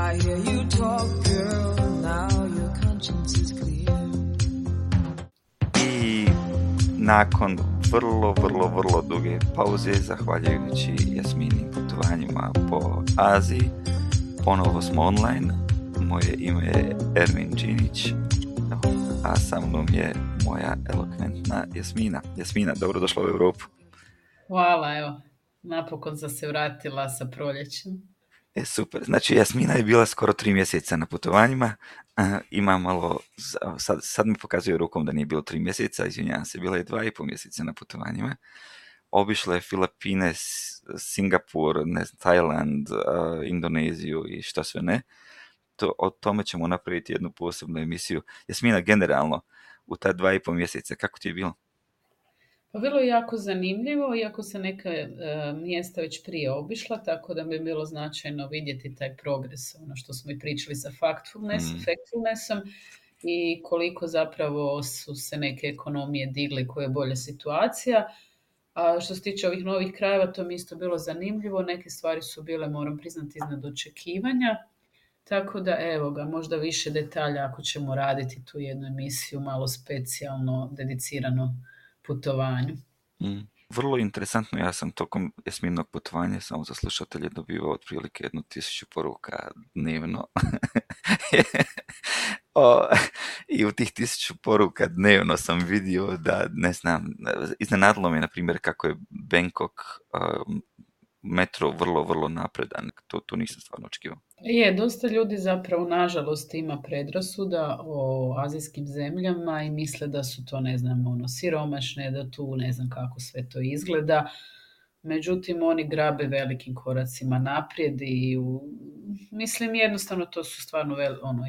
I hear you talk, girl, now your conscience is clear. I nakon vrlo duge pauze, zahvaljujući Jasminim putovanjima po Aziji, ponovo smo online. Moje ime je Ermin Đinić, a sa mnom je moja elokventna Jasmina. Jasmina, dobrodošla u Europu. Hvala, evo, napokon sam se vratila sa proljećem. Super, znači Jasmina je bila skoro 3 mjeseca na putovanjima, ima malo, sad mi pokazuje rukom da nije bilo 3 mjeseca, izvinjavam se, bila je 2,5 mjeseca na putovanjima. Obišla je Filipine, Singapur, Tajland, Indoneziju i što sve ne. O tome ćemo napraviti jednu posebnu emisiju. Jasmina, generalno, u ta 2,5 mjeseca, kako ti je bilo? Pa bilo je jako zanimljivo, iako sam neka mjesta već prije obišla, tako da mi je bilo značajno vidjeti taj progres, ono što smo i pričali sa factfulnessom i koliko zapravo su se neke ekonomije digle, koja je bolja situacija. A što se tiče ovih novih krajeva, to mi isto bilo zanimljivo, neke stvari su bile, moram priznati, iznad očekivanja. Tako da, evo ga, možda više detalja ako ćemo raditi tu jednu emisiju, malo specijalno, dedicirano putovanju. Vrlo interesantno, ja sam tokom Jasminog putovanja, samo za slušatelje, dobivao otprilike 1000 poruka dnevno. I u tih 1000 poruka dnevno sam vidio da, ne znam, iznenadilo me, na primjer, kako je Bangkok metro vrlo napredan. To nisam stvarno očekivao. Je, dosta ljudi zapravo, nažalost, ima predrasuda o azijskim zemljama i misle da su to, ne znam, siromašne, da tu ne znam kako sve to izgleda. Međutim, oni grabe velikim koracima naprijed i mislim jednostavno to su stvarno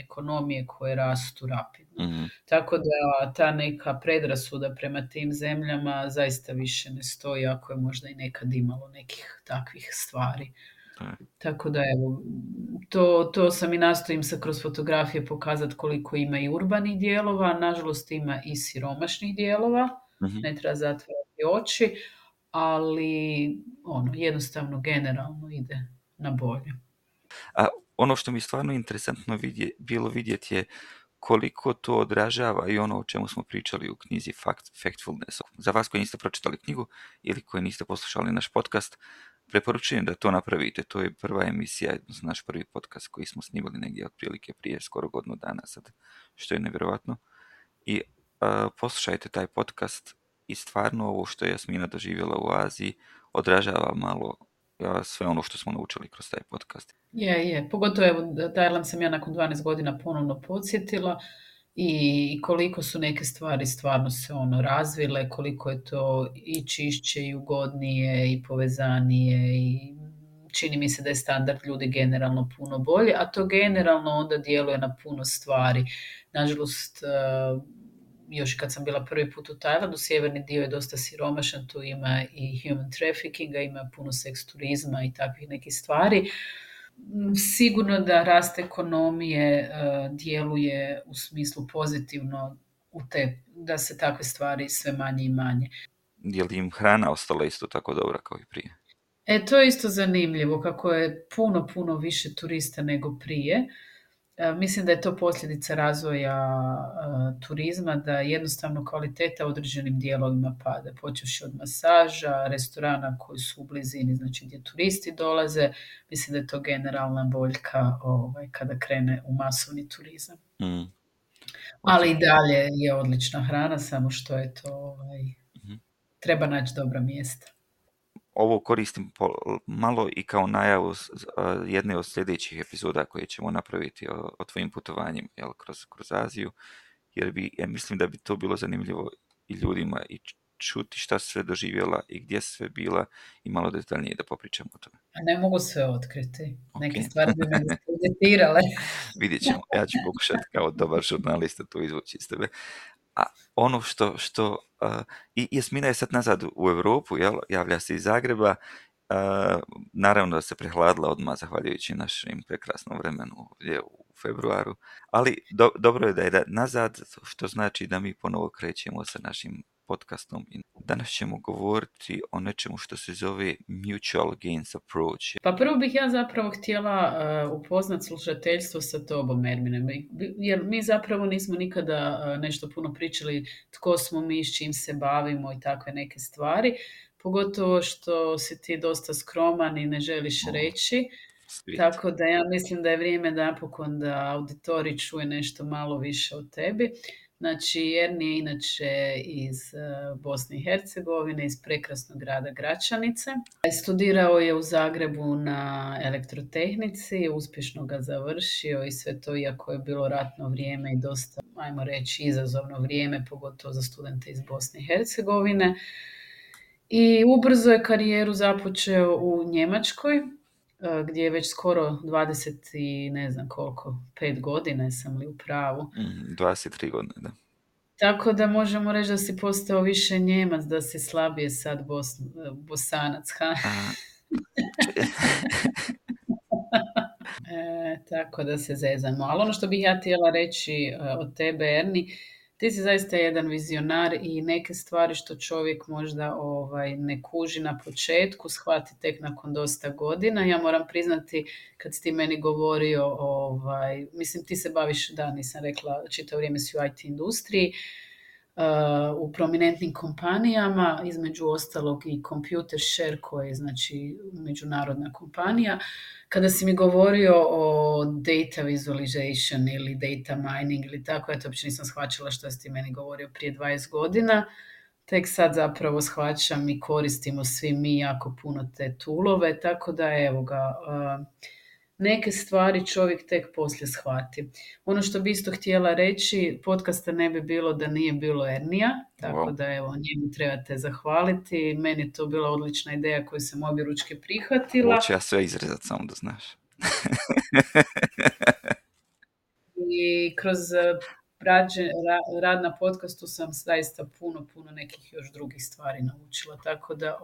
ekonomije koje rastu rapidno. Mm-hmm. Tako da ta neka predrasuda prema tim zemljama zaista više ne stoji, ako je možda i nekad imalo nekih takvih stvari. Tako da evo, to sam i nastojim se kroz fotografije pokazati koliko ima i urbanih dijelova, nažalost ima i siromašnih dijelova, ne treba zatvarati oči, ali jednostavno generalno ide na bolje. A ono što mi stvarno interesantno bilo vidjeti je koliko to odražava i ono o čemu smo pričali u knjizi Factfulness. Za vas koji niste pročitali knjigu ili koji niste poslušali naš podcast, preporučujem da to napravite. To je prva emisija, naš prvi podcast koji smo snimali negdje otprilike prije skoro godinu dana sad, što je nevjerojatno. I poslušajte taj podcast i stvarno ovo što je Jasmina doživjela u Aziji odražava malo sve ono što smo naučili kroz taj podcast. Je. Pogotovo, evo, Tajland sam ja nakon 12 godina ponovno podsjetila i koliko su neke stvari stvarno se razvile, koliko je to i čišće i ugodnije i povezanije i čini mi se da je standard ljudi generalno puno bolje, a to generalno onda djeluje na puno stvari. Nažalost, još kad sam bila prvi put u Tajlandu, sjeverni dio je dosta siromašan, tu ima i human traffickinga, ima puno seks turizma i takvih nekih stvari. Sigurno da rast ekonomije djeluje u smislu pozitivno da se takve stvari sve manje i manje. Je li im hrana ostala isto tako dobra kao i prije? To je isto zanimljivo, kako je puno više turista nego prije. Mislim da je to posljedica razvoja turizma, da jednostavno kvaliteta u određenim dijelovima pada, počevši od masaža, restorana koji su u blizini, znači gdje turisti dolaze. Mislim da je to generalna boljka kada krene u masovni turizam. Ali i dalje je odlična hrana, samo što je to treba naći dobra mjesta. Ovo koristim malo i kao najavu jedne od sljedećih epizoda koje ćemo napraviti o tvojim putovanjima kroz Aziju, jer mislim da bi to bilo zanimljivo i ljudima i čuti šta sve doživjela i gdje sve bila i malo detaljnije da popričamo o tome. Ne mogu sve otkriti. Neke stvari bi me diskreditirale. Vidjet ćemo. Ja ću pokušati kao dobar žurnalista to izvući iz tebe. A ono što i Jasmina je sad nazad u Europu, javlja se iz Zagreba, naravno da se prehladila odmah zahvaljujući našem prekrasnom vremenu ovdje u februaru, ali dobro je da je nazad, što znači da mi ponovo krećemo sa našim podcastom. Danas ćemo govoriti o nečemu što se zove mutual gains approach. Pa prvo bih ja zapravo htjela upoznat slušateljstvo sa tobom, Ermine, jer mi zapravo nismo nikada nešto puno pričali tko smo mi, s čim se bavimo i takve neke stvari, pogotovo što si ti dosta skroman i ne želiš reći, tako da ja mislim da je vrijeme napokon da auditorij čuje nešto malo više o tebi. Znači, Erni je inače iz Bosne i Hercegovine, iz prekrasnog grada Gračanice. Studirao je u Zagrebu na elektrotehnici, uspješno ga završio i sve to, iako je bilo ratno vrijeme i dosta, ajmo reći, izazovno vrijeme, pogotovo za studente iz Bosne i Hercegovine. I ubrzo je karijeru započeo u Njemačkoj, gdje je već skoro 20 i ne znam koliko, 5 godina, sam li u pravu. 23 godine, da. Tako da možemo reći da si postao više Njemac, da si slabije sad Bosanac, ha? Tako da se zezamo. Ali ono što bih ja htjela reći od tebe, Erni, ti si zaista jedan vizionar i neke stvari što čovjek možda ne kuži na početku, shvati tek nakon dosta godina. Ja moram priznati, kad si ti meni govorio, mislim ti se baviš, da, nisam rekla, čitavo vrijeme si u IT industriji, u prominentnim kompanijama, između ostalog i Computershare, koja je znači međunarodna kompanija. Kada si mi govorio o data visualization ili data mining ili tako, ja to uopće nisam shvaćala što si ti meni govorio prije 20 godina. Tek sad zapravo shvaćam i koristimo svi mi jako puno te toolove, tako da evo ga, neke stvari čovjek tek poslije shvati. Ono što bi isto htjela reći, podcasta ne bi bilo da nije bilo Ernija, tako da evo, njemu trebate zahvaliti. Meni je to bila odlična ideja koju sam objeručke prihvatila. Hoću ja sve izrezati, samo da znaš. I kroz rad na podcastu sam zaista puno nekih još drugih stvari naučila. Tako da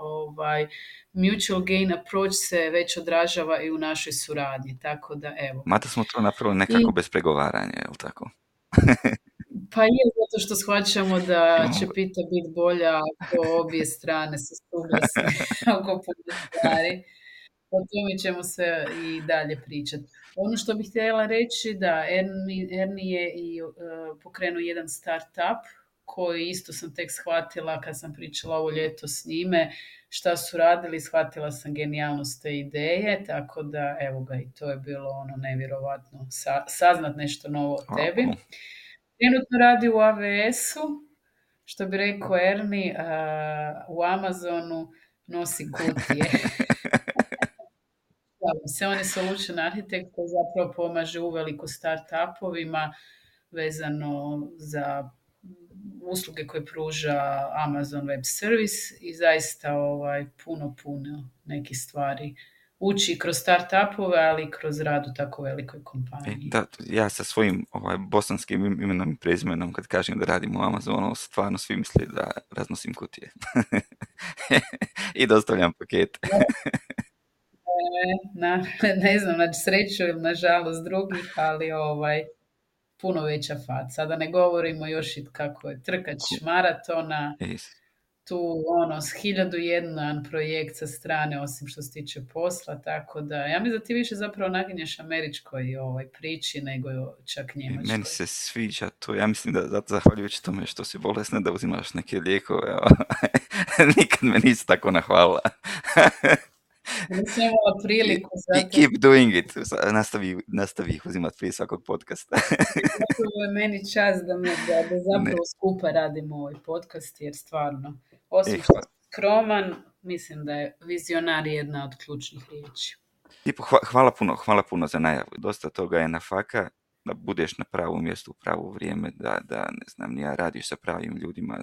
mutual gain approach se već odražava i u našoj suradnji. Tako da evo. Mada smo to napravili nekako bez pregovaranja, je li tako? Pa je, zato što shvaćamo da će pita biti bolja ako obje strane se suglasne oko puno stvari. O tome ćemo sve i dalje pričati. Ono što bih htjela reći da Erni je i pokrenuo jedan start-up koji isto sam tek shvatila kad sam pričala ovo ljeto s njime, šta su radili, shvatila sam genijalnost te ideje, tako da evo ga, i to je bilo ono nevjerovatno saznat nešto novo o tebi. Trenutno radi u AWS-u, što bi rekao Erni, u Amazonu nosi kutije. On je solution architect koji zapravo pomaže uveliko start-upovima vezano za usluge koje pruža Amazon Web Service i zaista puno nekih stvari uči kroz start-upove, ali i kroz rad u tako velikoj kompaniji. Da, ja sa svojim bosanskim imenom i prezimenom kad kažem da radim u Amazonu, stvarno svi misle da raznosim kutije. I dostavljam pakete. Ne znam, na sreću ili na žalost drugih, ali puno veća faca. Da ne govorimo još i kako je trkač maratona, tu s 1001 projekt sa strane, osim što se tiče posla, tako da ja mislim da ti više zapravo naginješ američkoj priči nego čak njemačkoj. Meni se sviđa to, ja mislim da zahvaljujući tome što si bolesna da uzimaš neke lijekove, nikad me nisi tako nahvalila. Nisam imala priliku. Keep doing it. Nastavi ih uzimati prije svakog podcasta. To je meni čast da zapravo skupa radimo ovaj podcast, jer stvarno, osim što skroman, mislim da je vizionar jedna od ključnih riječi. Hvala puno za najavu. Dosta toga je na faka, da budeš na pravom mjestu u pravo vrijeme, da ne znam, ja radiš sa pravim ljudima,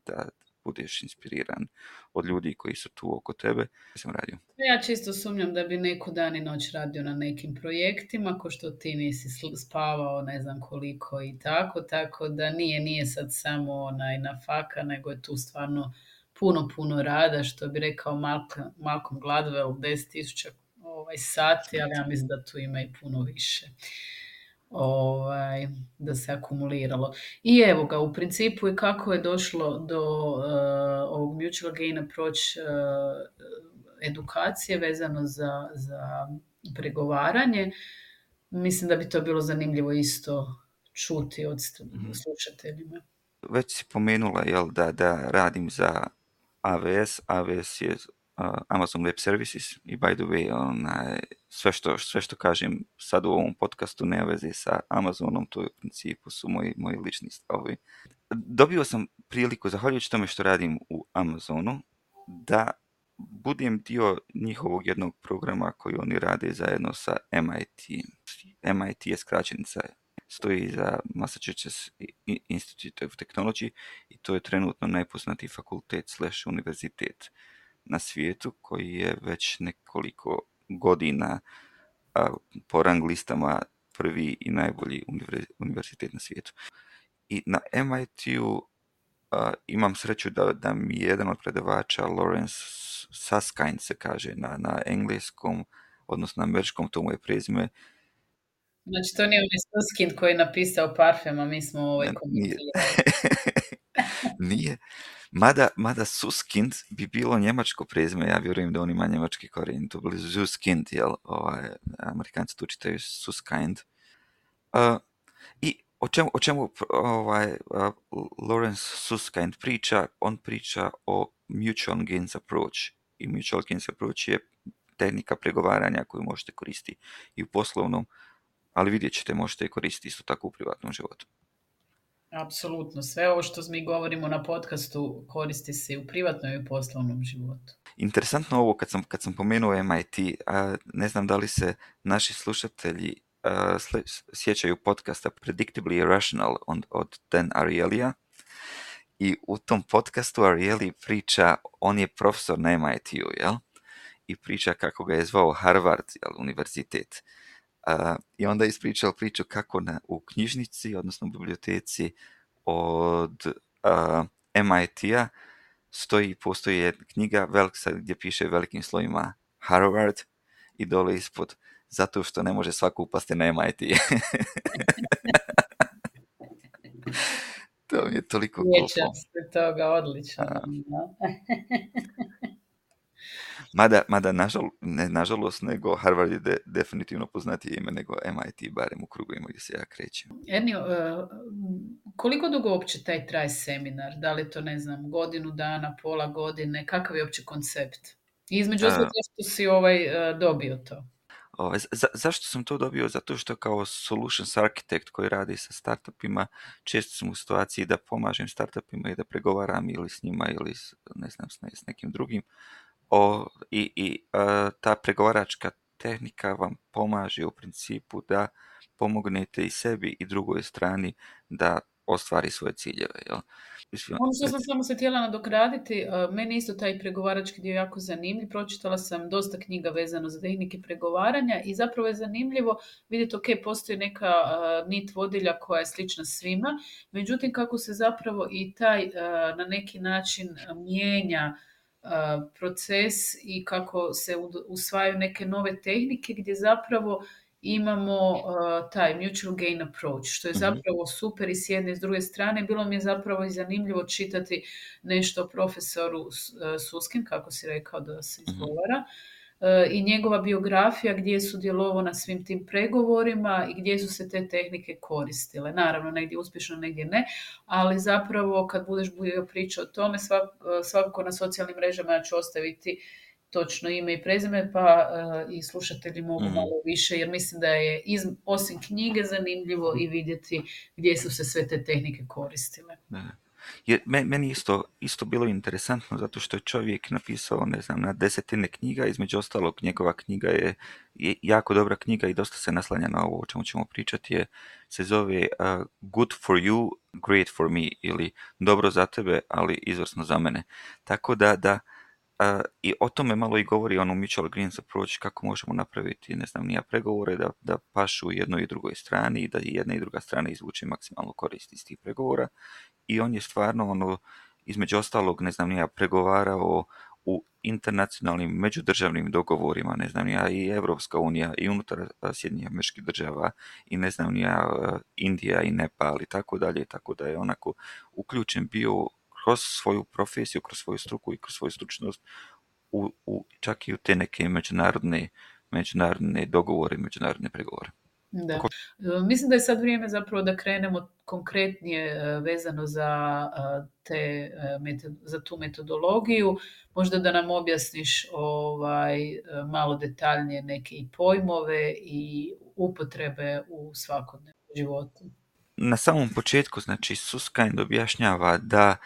da budeš inspiriran od ljudi koji su tu oko tebe. Sam radio. Ja čisto sumnjam da bi neko dan i noć radio na nekim projektima, ko što ti nisi spavao ne znam koliko i tako da nije sad samo na faka, nego je tu stvarno puno rada, što bi rekao Malcolm Gladwell, 10,000 sati, ali ja mislim da tu ima i puno više. da se akumuliralo. I evo ga, u principu i kako je došlo do ovog mutual gain approach edukacije vezano za pregovaranje. Mislim da bi to bilo zanimljivo isto čuti od slušateljima. Već si pomenula, jel, da radim za AWS. AWS je Amazon Web Services i by the way, sve što kažem sad u ovom podcastu nema veze sa Amazonom, to je u principu su moji lični stavovi. Dobio sam priliku, zahvaljujući tome što radim u Amazonu, da budem dio njihovog jednog programa koji oni rade zajedno sa MIT. MIT je skraćenica, stoji za Massachusetts Institute of Technology i to je trenutno najpoznatiji fakultet / univerzitet na svijetu koji je već nekoliko godina po rang listama prvi i najbolji univerzitet na svijetu. I na MIT-u imam sreću da mi je jedan od predavača, Lawrence Susskind se kaže na engleskom, odnosno na američkom, to mu je prezime. Znači, to nije onaj Susskind koji je napisao parfem, a mi smo komentirali. Nije. Mada Susskind bi bilo njemačko prezime, ja vjerujem da on ima njemački korijen, to bili Susskind, jel? Amerikanci tu čitaju Susskind. I o čemu Lawrence Susskind priča? On priča o mutual gains approach. I mutual gains approach je tehnika pregovaranja koju možete koristiti i u poslovnom, ali vidjet ćete, možete je koristiti isto tako u privatnom životu. Apsolutno. Sve ovo što mi govorimo na podcastu koristi se i u privatnom i u poslovnom životu. Interesantno ovo kad sam pomenuo MIT, ne znam da li se naši slušatelji sjećaju podcasta Predictably Irrational od Dan Arielyja. I u tom podcastu Ariely priča, on je profesor na MIT-u, jel? I priča kako ga je zvao Harvard, jel, univerzitet. I onda je ispričao priču kako u knjižnici, odnosno u biblioteci od MIT-a postoji jedna knjiga gdje piše velikim slovima Harvard i dole ispod zato što ne može svako upasti na MIT. To mi je toliko glupo. Sjećam se toga, odlično. Mada nažalost, nego Harvard je definitivno poznatije ime nego MIT, barem u krugovima gdje se ja krećem. Ernio, koliko dugo uopće taj traje seminar? Da li to, ne znam, godinu dana, pola godine? Kakav je uopće koncept? I između ostalog, zašto si dobio to? Zašto sam to dobio? Zato što kao solutions architect koji radi sa startupima, često sam u situaciji da pomažem startupima i da pregovaram ili s njima ili s nekim drugim. Ta pregovaračka tehnika vam pomaže u principu da pomognete i sebi i drugoj strani da ostvari svoje ciljeve. Jel? Ono što sam samo se htjela nadograditi, meni isto taj pregovarački dio jako zanimljiv. Pročitala sam dosta knjiga vezano za tehnike pregovaranja i zapravo je zanimljivo vidjeti, ok, postoji neka nit vodilja koja je slična svima, međutim kako se zapravo i taj na neki način mijenja proces i kako se usvajaju neke nove tehnike gdje zapravo imamo taj mutual gain approach, što je zapravo super i s jedne i s druge strane. Bilo mi je zapravo i zanimljivo čitati nešto o profesoru Susskind, kako si rekao da se izgovara, i njegova biografija gdje je sudjelovao na svim tim pregovorima i gdje su se te tehnike koristile. Naravno, negdje uspješno, negdje ne, ali zapravo kad budeš pričao o tome, svakako na socijalnim mrežama ja ću ostaviti točno ime i prezime, pa i slušatelji mogu malo više, jer mislim da je osim knjige zanimljivo i vidjeti gdje su se sve te tehnike koristile. Jer meni isto bilo interesantno zato što je čovjek napisao, ne znam, na 10 knjiga, između ostalog njegova knjiga je jako dobra knjiga i dosta se naslanja na ovo o čemu ćemo pričati, se zove Good for you, great for me, ili dobro za tebe, ali izvrsno za mene. Tako da i o tome malo i govori ono mutual gains approach, kako možemo napraviti, ne znam, pregovore da pašu jednoj i drugoj strani i da jedna i druga strana izvuče maksimalno korist iz tih pregovora. I on je stvarno između ostalog, ne znam, pregovarao u internacionalnim međudržavnim dogovorima, ne znam ja, i Evropska unija i unutar Sjedinjenih Američkih Država i ne znam ja, Indija i Nepal i tako da je onako uključen bio kroz svoju profesiju, kroz svoju struku i kroz svoju stručnost čak i u te neke međunarodne dogovore, međunarodne pregovore. Da. Mislim da je sad vrijeme zapravo da krenemo konkretnije vezano za tu metodologiju. Možda da nam objasniš malo detaljnije neke i pojmove i upotrebe u svakodnevnom životu. Na samom početku, znači, Susskind objašnjava da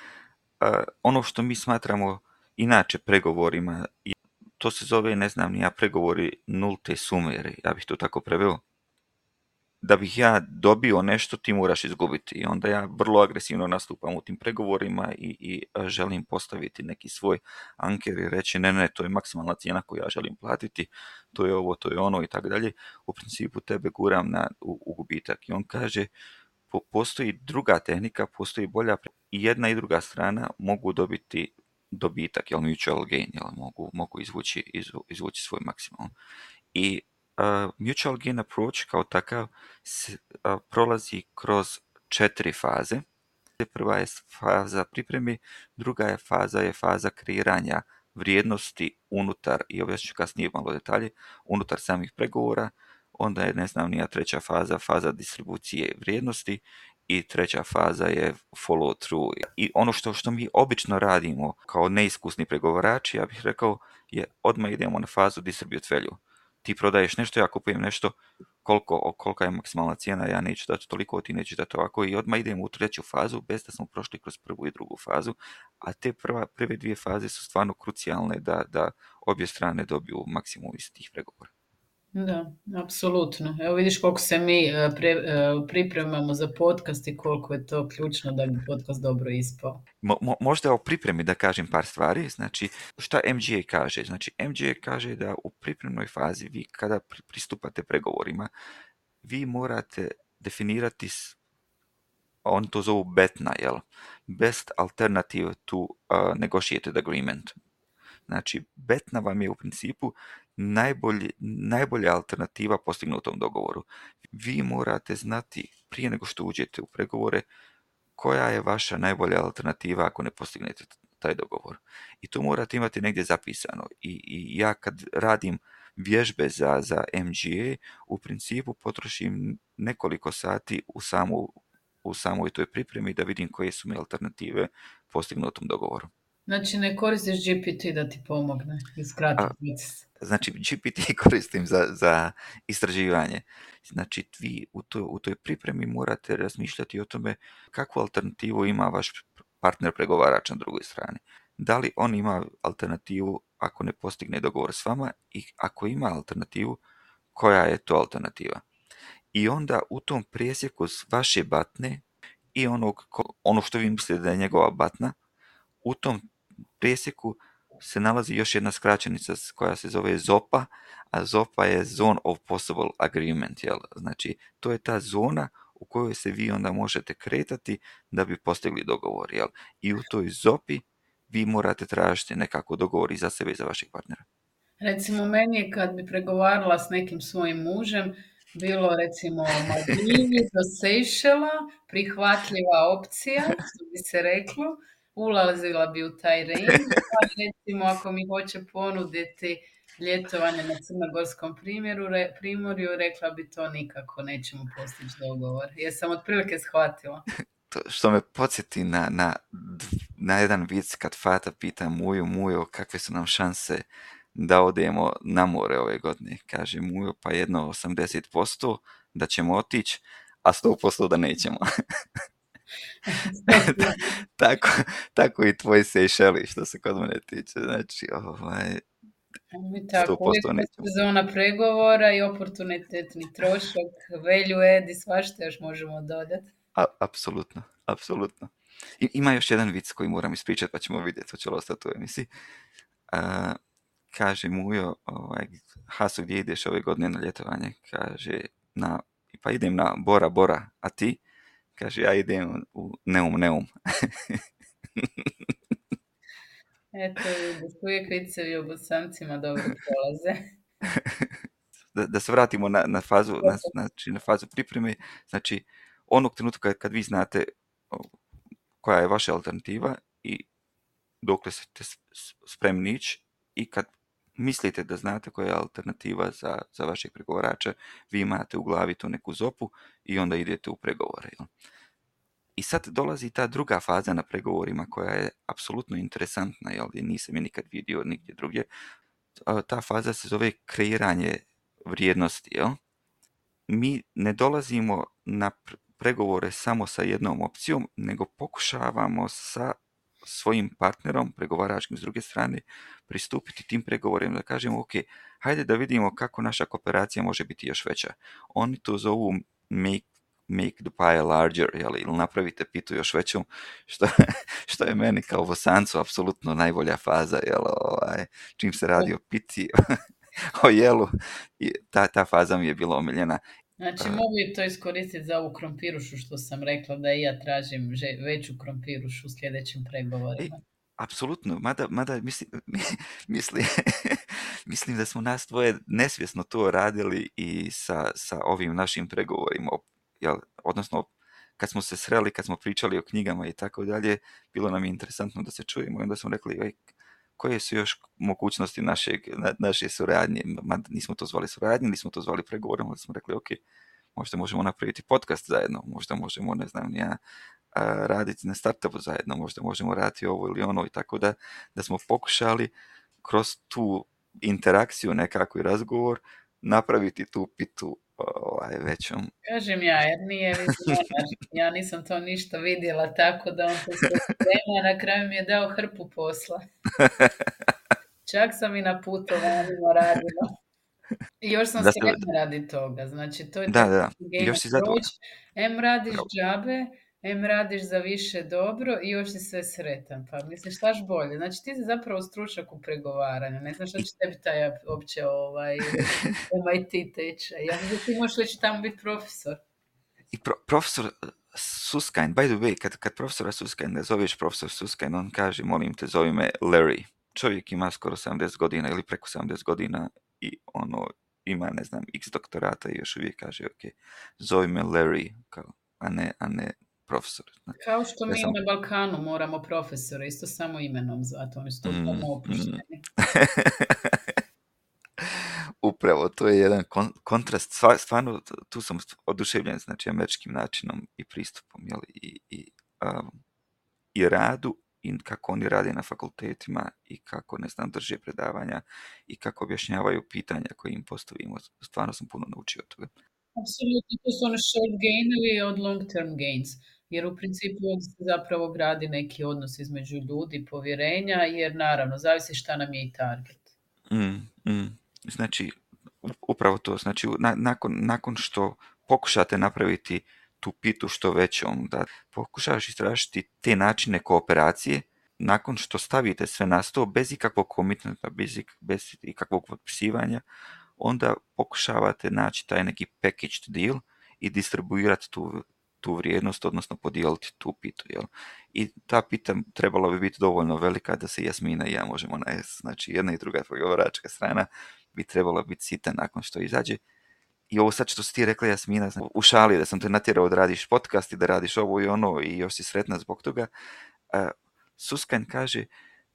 ono što mi smatramo inače pregovorima, to se zove, ne znam ni ja, pregovori nulte sume, ja bih to tako preveo. Da bih ja dobio nešto, ti moraš izgubiti. I onda ja vrlo agresivno nastupam u tim pregovorima i želim postaviti neki svoj anker i reći ne, to je maksimalna cijena koju ja želim platiti, to je ovo, to je ono i tako dalje. U principu tebe guram u gubitak. I on kaže, postoji druga tehnika, postoji bolja, i jedna i druga strana mogu dobiti dobitak, mutual gain, mogu izvući svoj maksimum. I mutual gain approach kao takav prolazi kroz 4 faze. Prva je faza pripreme, druga je faza kreiranja vrijednosti unutar, i objasnit ću kasnije malo detalje, unutar samih pregovora. Onda je, ne znam nija, treća faza distribucije vrijednosti, i treća faza je follow through. I ono što mi obično radimo kao neiskusni pregovarači, ja bih rekao, je odmah idemo na fazu distribute value. Ti prodaješ nešto, ja kupujem nešto, kolika je maksimalna cijena, ja neću dati toliko, ti nećeš dati ovako, i odmah idemo u treću fazu bez da smo prošli kroz prvu i drugu fazu, a te prve 2 faze su stvarno krucijalne da obje strane dobiju maksimum iz tih pregovora. Da, apsolutno. Evo vidiš koliko se mi pripremamo za podcast i koliko je to ključno da bi podcast dobro ispao. Možda o pripremi da kažem par stvari. Znači, šta MGA kaže? Znači, MGA kaže da u pripremnoj fazi vi kada pristupate pregovorima, vi morate definirati, oni to zovu BATNA, Best Alternative to Negotiated Agreement. Znači, BATNA vam je u principu najbolja alternativa postignutom dogovoru. Vi morate znati prije nego što uđete u pregovore koja je vaša najbolja alternativa ako ne postignete taj dogovor. I to morate imati negdje zapisano. I ja kad radim vježbe za MGA, u principu potrošim nekoliko sati u samoj toj pripremi da vidim koje su mi alternative postignutom dogovoru. Znači, ne koristiš GPT da ti pomogne iskrati proces? Znači, GPT koristim za istraživanje. Znači, vi u toj pripremi morate razmišljati o tome kakvu alternativu ima vaš partner pregovarač na drugoj strani. Da li on ima alternativu ako ne postigne dogovor s vama, i ako ima alternativu, koja je to alternativa. I onda u tom presjeku vaše batne i ono što vi mislite da je njegova batna, u tom presjeku se nalazi još jedna skraćenica koja se zove ZOPA, a ZOPA je Zone of Possible Agreement. Znači, to je ta zona u kojoj se vi onda možete kretati da bi postigli dogovor. I u toj ZOPI vi morate tražiti nekako dogovor i za sebe i za vašeg partnera. Recimo, meni je kad bi pregovarala s nekim svojim mužem, bilo recimo Maldivi do Sejšela, prihvatljiva opcija, što bi se reklo, ulazila bi u taj range, pa recimo ako mi hoće ponuditi ljetovanje na Crnogorskom primorju, rekla bi to nikako, nećemo postići dogovor. Jesam otprilike shvatila. To što me podsjeti na jedan vic kad Fata pita Mujo, kakve su nam šanse da odemo na more ove godine. Kaže Mujo, pa jedno 80% da ćemo otići, a 100% da nećemo. tako i tvoj Sejšeli, što se kod mene tiče. Znači, Mi tako, uvijek sezona pregovora i oportunitetni trošak, value add i svašta još možemo dodati. Apsolutno. Ima još jedan vic koji moram ispričati, pa ćemo vidjeti, hoće li ostati u emisiji. Kaže Mujo, Haso, gdje ideš ove godine na ljetovanje? Kaže, pa idem na Bora, a ti? Kaže, ja idem u Neum. Eto vidiš, uvijek vicevi o Bosancima dobro prolaze. Da se vratimo na fazu pripreme. Znači, onog trenutka kad vi znate koja je vaša alternativa i dokle ste spremni ići i kad mislite da znate koja je alternativa za vašeg pregovarača, vi imate u glavi tu neku zopu i onda idete u pregovore. Jel? I sad dolazi ta druga faza na pregovorima koja je apsolutno interesantna, jel? Nisam je nikad vidio nigdje drugdje. Ta faza se zove kreiranje vrijednosti. Jel? Mi ne dolazimo na pregovore samo sa jednom opcijom, nego pokušavamo sa svojim partnerom, pregovaračkim s druge strane, pristupiti tim pregovorima da kažemo, ok, hajde da vidimo kako naša kooperacija može biti još veća. Oni to zovu make the pie larger, jel, ili napravite pitu još većom, što je meni kao Bosancu apsolutno najbolja faza, jel, čim se radi o piti, o jelu, i ta faza mi je bila omiljena. Znači, mogu i to iskoristiti za ovu krompirušu što sam rekla, da i ja tražim veću krompirušu u sljedećim pregovorima. Apsolutno, mada mislim da smo nas dvoje nesvjesno to radili i sa ovim našim pregovorima, jel, odnosno kad smo se sreli, kad smo pričali o knjigama i tako dalje, bilo nam je interesantno da se čujemo i onda smo rekli, koje su još mogućnosti naše suradnje, mada nismo to zvali suradnje, nismo to zvali pregovorom, ali smo rekli, ok, možda možemo napraviti podcast zajedno, možda možemo, ne znam, raditi na startupu zajedno, možda možemo raditi ovo ili ono, i tako da smo pokušali kroz tu interakciju nekako i razgovor napraviti tu pitu većom. Kažem ja, jer nije vizionar. Ja nisam to ništa vidjela, tako da on to sve sprema, na kraju mi je dao hrpu posla. Čak sam i na putovanjima radila. I još sam sretna radi toga. Znači, to je tako game of approach. Em radiš džabe, em radiš za više dobro i još si sve sretan. Pa misliš, štaš bolje? Znači, ti si zapravo stručnjak u pregovaranju. Ne znam što će tebi taj opće MIT tečaj. Ja mislim da ti možeš već tamo biti profesor. I profesor Susskind, by the way, kad profesora Susskind zoveš profesor Susskind, on kaže, molim te, zovi me Larry. Čovjek ima skoro 70 godina ili preko 70 godina i ima, ne znam, x doktorata i još uvijek kaže, ok, zove me Larry, a ne profesor. Kao što mi na Balkanu moramo profesora, isto samo imenom zvati, oni su to tamo opušteni. Upravo, to je jedan kontrast, stvarno tu sam oduševljen, znači, američkim načinom i pristupom, jel, i radu, i kako oni rade na fakultetima i kako, ne znam, drže predavanja i kako objašnjavaju pitanja koje im postavimo. Stvarno sam puno naučio od toga. Apsolutno, to su one short gainovi od long term gains, jer u principu ovdje se zapravo gradi neki odnos između ljudi, povjerenja, jer naravno, zavisi šta nam je i target. Znači, upravo to, znači, nakon što pokušate napraviti tu pitu što većom, da pokušaš istražiti te načine kooperacije, nakon što stavite sve na sto, bez ikakvog komitmenta, bez ikakvog potpisivanja, onda pokušavate naći taj neki packaged deal i distribuirati tu vrijednost, odnosno podijeliti tu pitu. Jel? I ta pita trebala bi biti dovoljno velika da se Jasmina i ja možemo najesti. Znači, jedna i druga pregovaračka strana bi trebala biti sita nakon što izađe. I ovo sad što si ti rekla, Jasmina, u šali da sam te natjerao da radiš podcast i da radiš ovo i ono i još si sretna zbog toga, Susskind kaže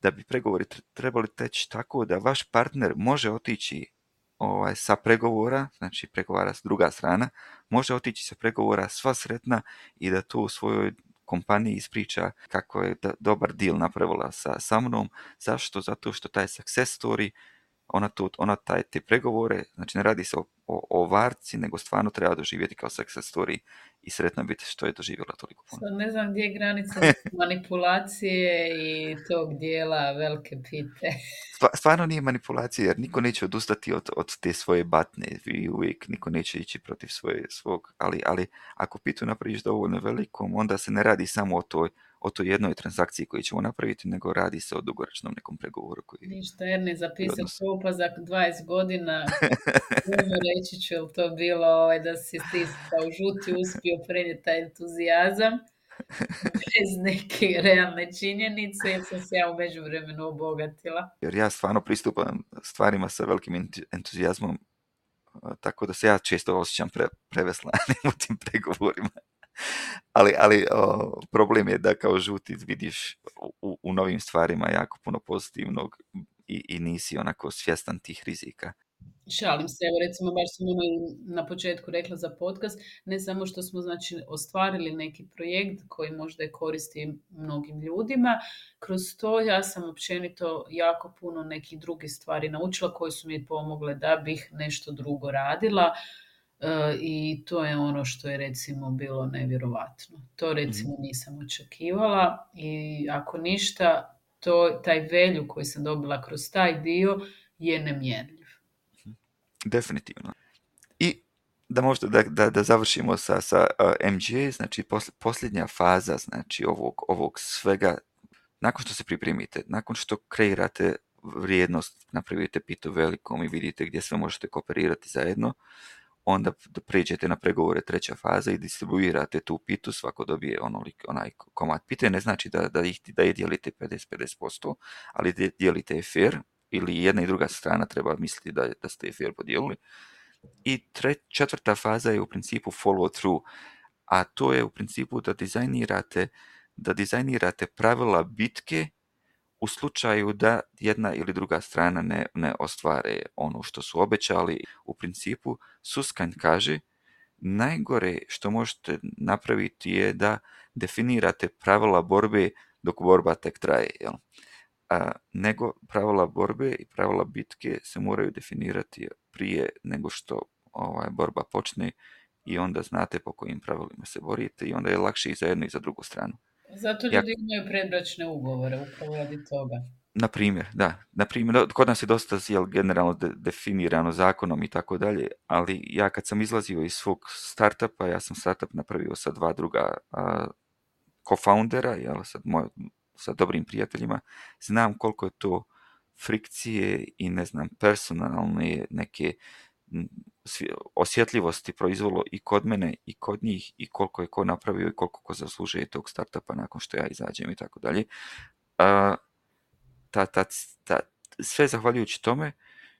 da bi pregovori trebali teći tako da vaš partner može otići sa pregovora, znači pregovara s druga strana, može otići sa pregovora sva sretna i da to u svojoj kompaniji ispriča kako je dobar deal napravila sa mnom. Zašto? Zato što taj success story, ona te pregovore, znači ne radi se o varci, nego stvarno treba doživjeti kao success story i sretna biti što je doživjela toliko puno. Sad ne znam gdje je granica manipulacije i tog dijela velike pite. Stvarno nije manipulacija, jer niko neće odustati od te svoje batne i uvijek niko neće ići protiv svog, ali ako pitu napraviš dovoljno velikom, onda se ne radi samo o toj jednoj transakciji koju ćemo napraviti, nego radi se o dugoročnom nekom pregovoru. Ništa, Erni, zapisati to, pa za 20 godina reći ću, je li to bilo da si ti kao žuti uspio prenijeti taj entuzijazam. bez neke realne činjenice, jer sam se ja u međuvremenu obogatila. Jer ja stvarno pristupam stvarima sa velikim entuzijazmom, tako da se ja često osjećam preveslanim u tim pregovorima. Ali problem je da kao žuti vidiš u novim stvarima jako puno pozitivnog i nisi onako svjestan tih rizika. Šalim se, evo recimo baš sam na početku rekla za podcast, ne samo što smo znači ostvarili neki projekt koji možda je koristi mnogim ljudima, kroz to ja sam općenito jako puno nekih drugih stvari naučila koje su mi pomogle da bih nešto drugo radila. I to je ono što je recimo bilo nevjerovatno. To recimo nisam očekivala i ako ništa, taj value koji sam dobila kroz taj dio je nemjerljiv. Definitivno. I da možda da završimo sa MGA, znači posljednja faza znači ovog svega, nakon što se pripremite, nakon što kreirate vrijednost, napravite pitu velikom i vidite gdje sve možete kooperirati zajedno, onda pređete na pregovore treća faza i distribuirate tu pitu, svako dobije onaj komad pite, ne znači da je dijelite 50%, ali dijelite fair, ili jedna i druga strana treba misliti da ste fair podijelili. I četvrta faza je u principu follow through, a to je u principu da dizajnirate pravila bitke u slučaju da jedna ili druga strana ne ostvare ono što su obećali. U principu Susskind kaže najgore što možete napraviti je da definirate pravila borbe dok borba tek traje. Jel? Nego pravila borbe i pravila bitke se moraju definirati prije nego što borba počne i onda znate po kojim pravilima se borite i onda je lakše i za jednu i za drugu stranu. Zato ljudi imaju predbračne ugovore, upravo radi toga. Na primjer, kod nas je dosta generalno definirano zakonom i tako dalje, ali ja kad sam izlazio iz svog startupa, ja sam startup napravio sa 2 druga co-foundera, sa dobrim prijateljima, znam koliko je to frikcije i ne znam, personalne neke osjetljivosti proizvelo i kod mene i kod njih i koliko je ko napravio i koliko ko zaslužuje tog startupa nakon što ja izađem i tako dalje. Sve zahvaljujući tome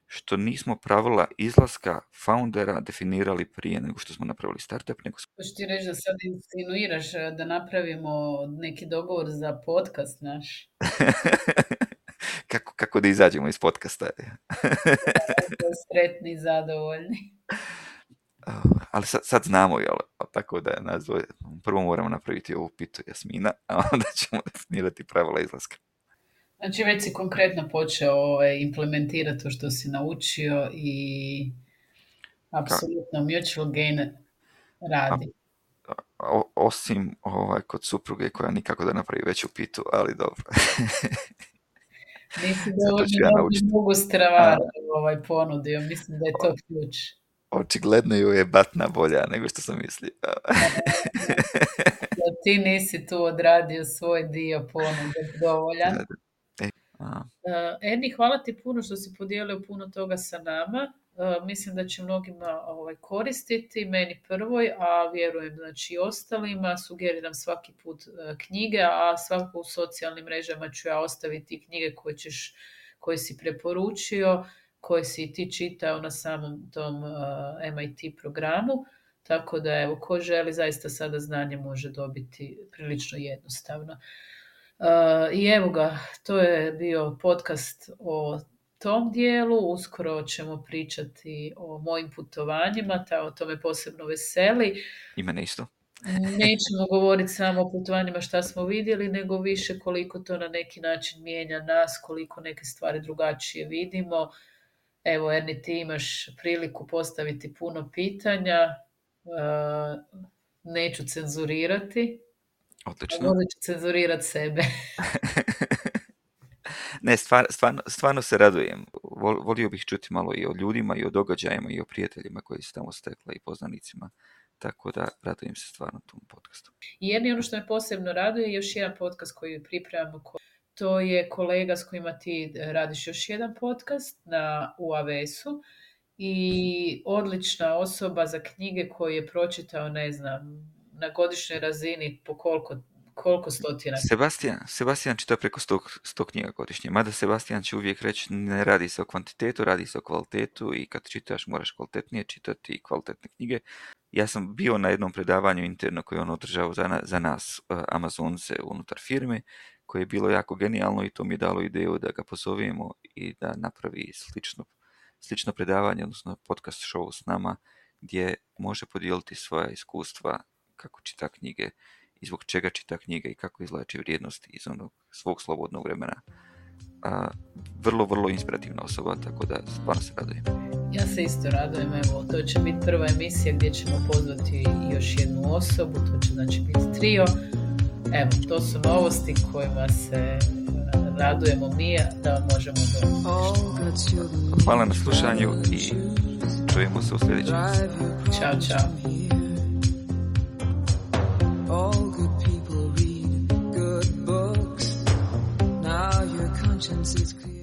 što nismo pravila izlaska foundera definirali prije nego što smo napravili startup. Hoćeš ti reći da sad insinuiraš da napravimo neki dogovor za podcast naš? Kako da izađemo iz podcasta? Sretni i zadovoljni. Ali sad znamo, jel? Tako da prvo moramo napraviti ovu pitu Jasmina, a onda ćemo definirati pravila izlaska. Znači već si konkretno počeo implementirati to što si naučio i apsolutno mutual gain radi. Osim kod supruge koja nikako da napravi veću pitu, ali dobro. Nisi dovoljno mogu stravar ponudio, mislim da je to ključ. Očigledno ju je batna bolja nego što sam mislio. Ti nisi tu odradio svoj dio ponude dovoljan. Eni, hvala ti puno što si podijelio puno toga sa nama. Mislim da će mnogima koristiti, meni prvoj, a vjerujem znači i ostalima. Sugeriram svaki put knjige, a svako u socijalnim mrežama ću ja ostaviti knjige koje si preporučio, koje si ti čitao na samom tom MIT programu. Tako da, evo, ko želi zaista sada znanje može dobiti prilično jednostavno. I evo ga, to je bio podcast o tom dijelu. Uskoro ćemo pričati o mojim putovanjima, to me posebno veseli. I mene isto. Nećemo govoriti samo o putovanjima šta smo vidjeli, nego više koliko to na neki način mijenja nas, koliko neke stvari drugačije vidimo. Evo, Erni, ti imaš priliku postaviti puno pitanja. Neću cenzurirati. Odlično. Možda ću cenzurirati sebe. Ne, stvarno se radujem. Volio bih čuti malo i o ljudima, i o događajima, i o prijateljima koji su tamo stekla i poznanicima. Tako da radujem se stvarno tom podcastu. I ono što me posebno raduje je još jedan podcast koji pripremamo. To je kolega s kojima ti radiš još jedan podcast u AWS-u i odlična osoba za knjige koje je pročitao, ne znam, na godišnjoj razini po koliko koliko stotina? Sebastian čita preko 100 knjiga godišnje, mada Sebastian će uvijek reći ne radi se o kvantitetu, radi se o kvalitetu i kad čitaš moraš kvalitetnije čitati i kvalitetne knjige. Ja sam bio na jednom predavanju interno koje on održao za nas Amazonce unutar firme, koje je bilo jako genijalno i to mi je dalo ideju da ga pozovemo i da napravi slično predavanje, odnosno podcast show s nama, gdje može podijeliti svoja iskustva kako čita knjige i zbog čega čita knjige i kako izvlači vrijednosti iz onog svog slobodnog vremena. Vrlo, vrlo inspirativna osoba, tako da stvarno se radujem. Ja se isto radujem, evo, to će biti prva emisija gdje ćemo pozvati još jednu osobu, to će znači biti trio. Evo, to su novosti kojima se radujemo mi, da vam možemo doći. Hvala na slušanju i čujemo se u sljedećem. Ćao, čao. All good people read good books. Now your conscience is clear.